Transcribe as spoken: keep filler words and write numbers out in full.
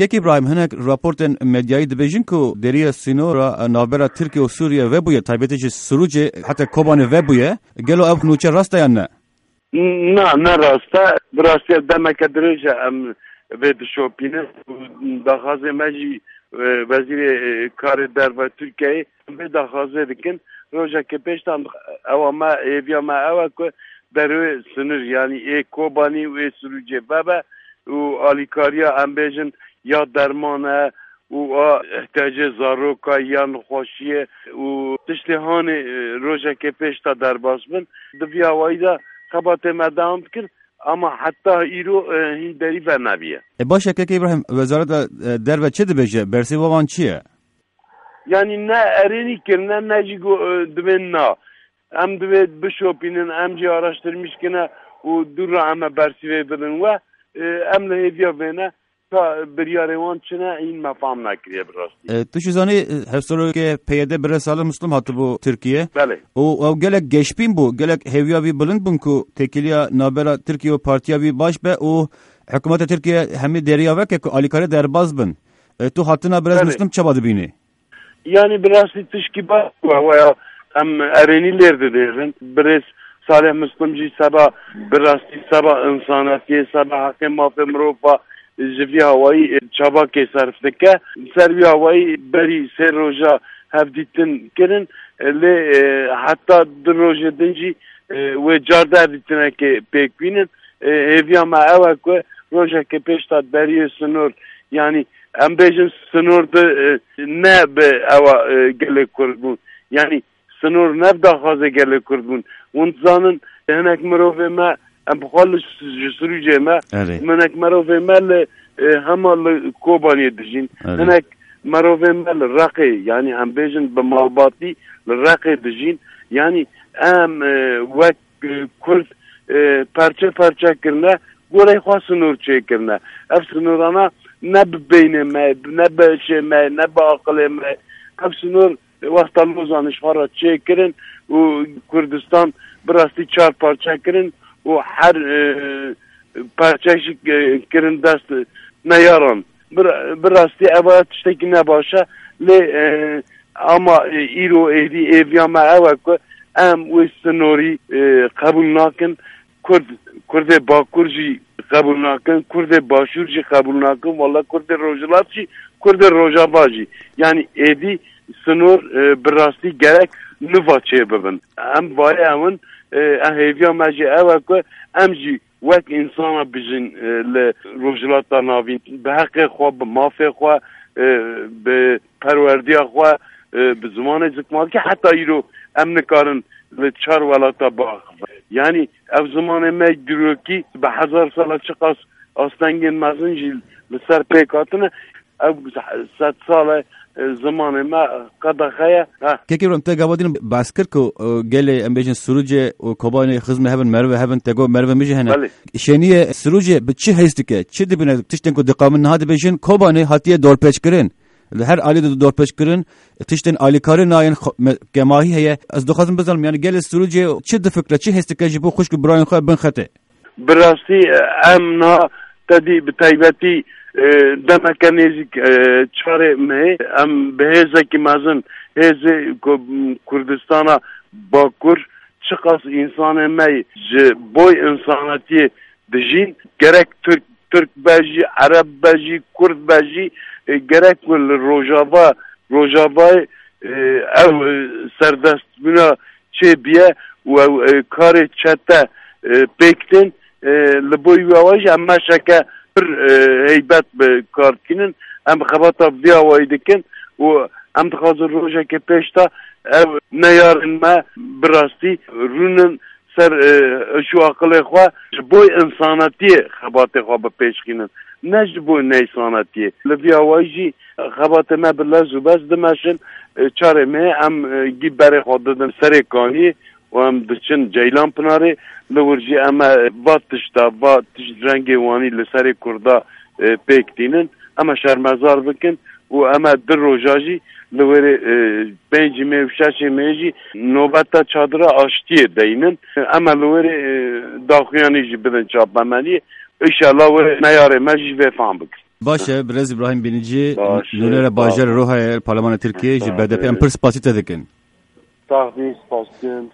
Kek Îbrahîm, hinek raportên medyayî dibêjin ku dêriya sînora navbera Tirkiye û Sûriye vebûye, taybetî jî Sirûcê heta Kobanê vebûye. Gelo ev nûçe rast e yan ne? Na, ne rast e. Bi rastî demeke dirêj e em vê dişopînin û daxwazê me jî, e, Wezîrê, e, Karê Derve Tirkiyeyê em vê daxwazê dikin. Rojekê pêş de em, ewa me, hêviya me ew e ku derwê sinir, yanî ê Kobanî û ê Sirûcê vebe û alîkariya, em bêjin, ya derman e û a ihtiyacê zaroka, ya nexweşiyê û tiştê hanê, e, rojekê pêş de derbas bin. Di vî awayî de xebatê me dewam dikir, ama heta îro, e, hîn derî venebiye. E, baş e, kek Îbrahîm, Wezareta, e, Derve çi dibêje? Bersîva wan çi ye? Yanî ne erênî kirine, ne jî got, e, divên na. Em divê bişopînin, em jî araştirmîş kine û dû re em ê bersîvê bidin we. E, em li hêviya vê ne, ka biryarê wan çi ne, hîn me fam nekiriye bi rastî. E, tu jî zanî, e, hevserokê P Y D Birêz Salih Muslim hatibû Tirkiye. Belê. Û ew gelek geşbîn bû, gelek hêviya wî bilind bûn ku têkiliya navbera Tirkiye û partiya wî baş be û hikûmeta Tirkiye hemî dêriya veke ku alîkarê derbas bin. E, tu hatina Birêz Belê. Muslim çawa dibînî? Yanî bi rastî tişkî baş bû, ew ya em erênî lêr didêrin. Birêz Salih Muslim jî seba, bi rastî seba însanetiyê, seba heqê mafê mirova ji vî awayî, e, çavakê serf dike. Ser vî awayî berî sê roja hevdîtin kirin, e, lê, e, heta du rojê din jî, e, wê car de hevdîtinekê pêk bînin. E, hêviya me ew e ku rojekê pêş de deriyê sinor, yanî em bêjin sinor di, e, ne bi ewa, e, gelê Kurd bûn. Yanî sinor ne bi daxwazê gelê Kurd bûn. Hûn dizanin, hinek mirovê me, em bi xwe li s-, ji Sirûcê me, Erê. hinek mirovê me li, e, hema li Kobaniyê dijîn. Erê. Hinek mirovê me li Reqê, yanî em bêjin bi malbatî li Reqê dijîn. Yanî em, e, wek, e, Kurd, e, perçe perçe kirine, gorey xwe sinor çêkirine. Ev sinorana ne bi beynê me, ne bi hişê me, ne bi aqilê me. Ev sinor wexta Lozanê ji xwe re çêkirin û Kurdistan bi rastî çar parçe kirin û her, e, parçe jî, e, kirin dest neyaran. Bir, bi rastî ev tiştekî ne baş e, lê, e, ama, e, îro êdî êviya me ew e ku em wê sinorî, e, qebûl nakin. Kurd, Kurdê Bakur jî qebûl nakin, Kurdê Başûr jî qebûl nakin, wala Kurdê Rojhilat jî, Kurdê Rojava jî. Yanî êdî sinor, e, bi rastî gerek niva çêbibin. Em vayê ew in, e, em hêviya me jî ew e ku em jî wek însana bijîn, e, li Rojhilata Navîn, bi heqê xwe, bi mafê xwe, e, bi perwerdiya xwe, e, bi zimanê zikmakî heta îro em nikarin li çar welata biaxivin. Yanî ev zimanê me girokî bi hezar sala çiqas astengên mezin jî li ser pêk hatine, ew sed sal e, e, zimanê me qedexe ye. Ha. Kekê Îbrahîm, te gava din behs kir ku, e, gelê, em bêjin, Sirûcê û Kobanê xizmê hev in, merivê hev in, te got merivê min jî hene. Belê. Şêniyê Sirûcê bi çi hêz dike? Çi dibîne? Tiştên ku diqamin niha dibêjin, Kobanê hatiye dorpêçkirin. Li her alî de dorpêçkirin, tiştên alîkarî nayên xwe-, me-, kemahî heye. Ez dixwazim bizanim, yanî gelê Sirûcê çi difikre, çi hêz dike ji bo xwişk û birayên xwe bin xetê? Bi rastî, e, em niha tedî bi taybetî, e, demeke nêzîk, e, çarê mehê, em bi hêzekî mezin, hêzê ku-, Kurdistana Bakur, çiqas însanê me ji boy însanetiyê dijîn, gerek Tirk, Tirk be jî, Ereb be jî, Kurd be jî, e, gerek ku li Rojava, Rojavayê, e, ew, e, serdestbûna çêbiye û ew, e, karê çete, e, pêk tên, e, li bo wî awayî jî em meşeke pir, e, heybet bi kar dikînin. Em xebata vî awayî dikin û em dixwazin rojekê pêş de ev neyarên me bi rastî rûnin ser, e, iş û aqilê xwe, ji bo însanetiyê xebatê xwe bi pêş xînin, ne ji bo neysanetiyê. Li vî awayî jî xebatê me bi lez û bez dimeşin, e, çarê mehê em, e, gî berê xwe didin Serê Kaniyê û em diçin Ceylan Pinarê. Li wir jî em e va tişta, va tişt rengê wanî li serê Kurda, e, pêk tînin. Em e şermezar bikin û em e du roja jî li wêrê, e, pêncî mê û şeşê mê jî nobeta çadira aştiyê deynin. Em e li wêrê, e, daxuyanî jî bidin çapemeniyê. Înşallah wê neyarê me jî vê fam bikin. Baş e, birêz Îbrahîm Bînicî, Baş e, nûnere sağ ol. Bajarê Rohayê, Parlemana Tirkiyê, ji Sağ B D P em ol. Pir spasî te dikin. Sax bî, spas dikim.